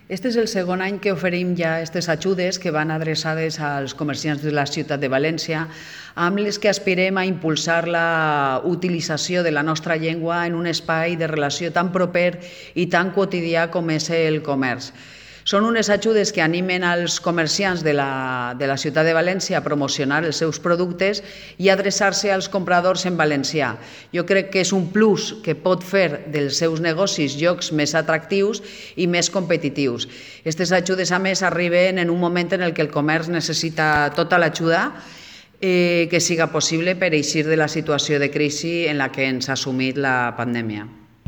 Este és el segon any que oferim ja aquestes ajudes que van adreçades als comerciants de la ciutat de València, amb les que aspirem a impulsar la utilització de la nostra llengua en un espai de relació tan proper i tan quotidià com és el comerç. Són unes ajudes que animen als comerciants de la ciutat de València a promocionar els seus productes i adreçar-se als compradors en valencià. Jo crec que és un plus que pot fer dels seus negocis llocs més atractius i més competitius. Aquestes ajudes, a més, arriben en un moment en què el comerç necessita tota l'ajuda que siga possible per eixir de la situació de crisi en la que ens ha sumit la pandèmia.